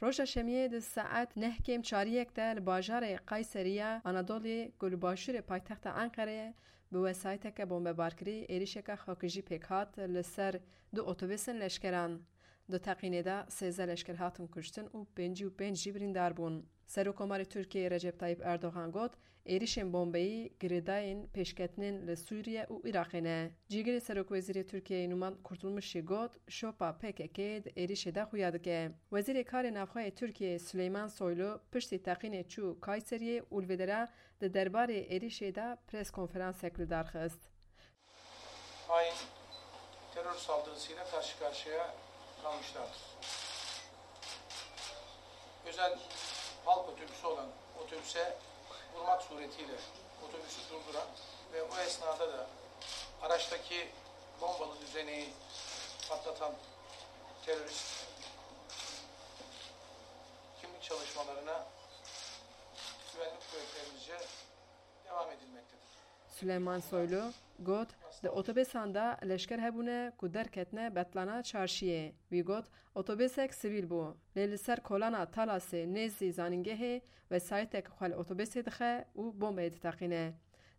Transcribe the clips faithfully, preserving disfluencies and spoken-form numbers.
Roja Şemiyê di saet neh kêm çariyek de li bajarê Kayseriya Anadolê ku li başûrê paytexta Enqereyê bi wesayîteke bombebarkirî êrişeke xakijî pêk hat li ser du otobusên leşkeran. Di teqînê de sêzdeh leşker hatin kuştin û pêncî û pênc jî birîndar bûn. Serokkomarê Tirkiyeyê Recep Tayyip Erdogan got, êrişên bombeyî girêdayên pêşketinên li Sûriye û Iraqê ne. Cîgirê Serokwezîrê Tirkiyeyê Numan Kurtulmuş jî got, şopa P K K di êrişê de xuya dike. Wezîrê Karê Navxwe yê Tirkiyeyê Süleyman Soylu piştî teqînê çû Kayseriyê û li vê dera di derbarê êrişê de pres konferansek li dar xist. Hain terör saldırısıyla karşı karşıya kalmışlardır. Özel halk otobüsü olan otobüse vurmak suretiyle otobüsü durduran ve o esnada da araçtaki bombalı düzeneyi patlatan terörist kimlik çalışmalarına güvenlik kuvvetlerimizce devam edilmektedir. Süleyman Soylu got, di otobesan de leşker hebûne ku derketine betlana çarşiyê. Wî got, otobesek sivîl bû, lê li ser kolana Talasê nêzî zanîngehê wesayîtek xwe li otobesê dixe û bombeyê diteqîne.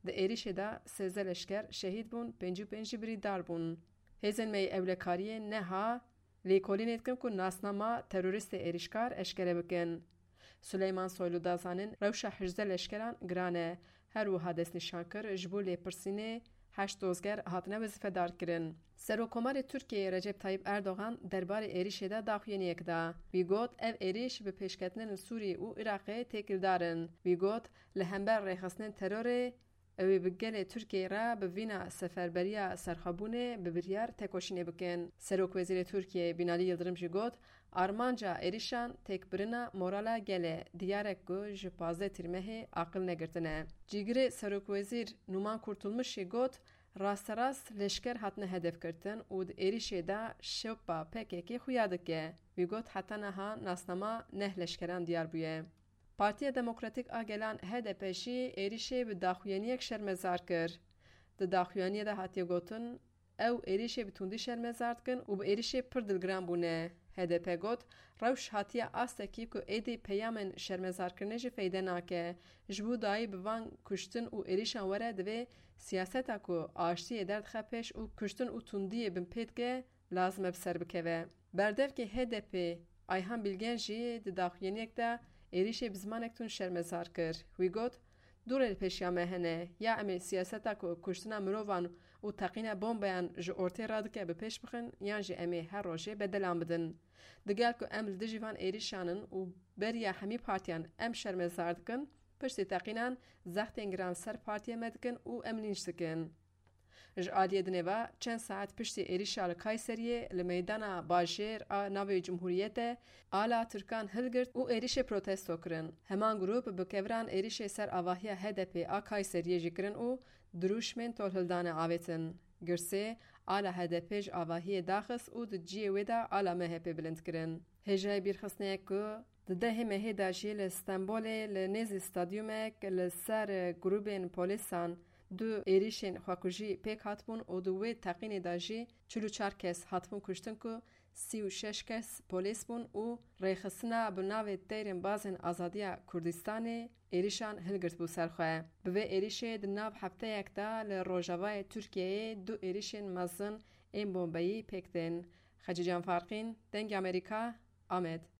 Di êrişê de sêzdeh leşker şehîd bûn, pêncî û pênc jî birîndar bûn. Hêzên me yê ewlekariyê neha lêkolînê dikin ku nasnama teroristê êrişkar eşkere bikin. Suleyman Soylu da zanîn, rewşa hejdeh leşkeran giran e. Her wiha destnîşan kir, ji bo lêpirsînê heşt dozger hatine wezîfedarkirin. Serokkomarê Tirkiyeyê Recep Tayyip Erdogan derbarê êrişê de daxuyaniyek da. Wî got, ev êrîş bi pêşketinên li Sûriyê û Iraqê têkildar in. Wî got, li hember rêxistinên terorê, ew ê bi gelê Tirkiyeyê re bi vîna seferberiya serxwebûnê bi biryar tekoşînê bikin. Serokwezîrê Tirkiyeyê Binalî Yildirim jî got, armanca êrîşan têkbirina morala gelê, diyar e ku ji pazdeh Tîrmehê aqil negirtine. Cîgirê Serokwezîr Numan Kurtulmuş jî got, rasterast leşker hatine hedefgirtin û di êrîşê de şopa P K K xuya dike. Wî got, heta niha nasnama neh leşkeran diyar bûye. Partiya Demokratîk a Gelan, H D P, jî êrîşê bi daxuyaniyek şermezar kir. Di daxuyaniyê de hatiye gotin, ew êrîşê bi tundî şermezar dikin û bi êrîşê pir dilgiran bûne. H D P got, rewş hatiye astekî ku êdî peyamên şermezarkirinê jî feyde nake. Ji bo dayî bi van kuştin û êrîşan were, divê siyaseta ku aştiyê derdixe pêş û kuştin û tundiyê binpê dike, lazim e bi ser bikeve. Berdevkê H D P Ayhan Bilgen jî di daxuyaniyek de êrîşê bi zimanek tund şermezar kir. Wî got, dû rê li pêşiya me hene, ya em ê siyaseta ku kuştina mirovan û teqîna bombeyan ji ortê radike bi pêş bixin, yan jî em ê her rojê bedelan bidin. Digel ku em li dijî van êrîşan in û beriya hemî partiyan em şermezar dikin, piştî teqînan zextên giran ser partiya me dikin û em lînç dikin. Ji aliyê dinê ve çend saet piştî êrîşa li Kayseriyê li meydana bajêr a navê Cumhuriyetê ala Tirkan hilgirt û êrîşê protesto kirin. Heman grûp bi keviran êrîşê ser avahiya H D P a Kayseriyê jî kirin û dirûşmên tolhildane avêtin. Girsê ala H D P ji avahiyê daxist û di cihê wê de ala M H P bilind kirin. Hêjayê bîrxistinê ye ku di dehê mehê de jî li Stenbolê li nêzî stadyumek li ser grûbên polîsan du êrîşên xwekujî pêk hatibûn û di wê teqînê de jî çil û çar kes hatibûn kuştin ku sî û şeş kes polîs bûn û rêxistina bi navê Teyrên Bazên Azadiya Kurdistanê êrîşan hilgirtbû ser xwe. Bi vê êrîşê di nav hefteyek de li rojavayê Tirkiyeyê du êrîşên mezin ên bombeyî pêk tên. Xecîcan Farqîn, Dengê Amerîka, Amed.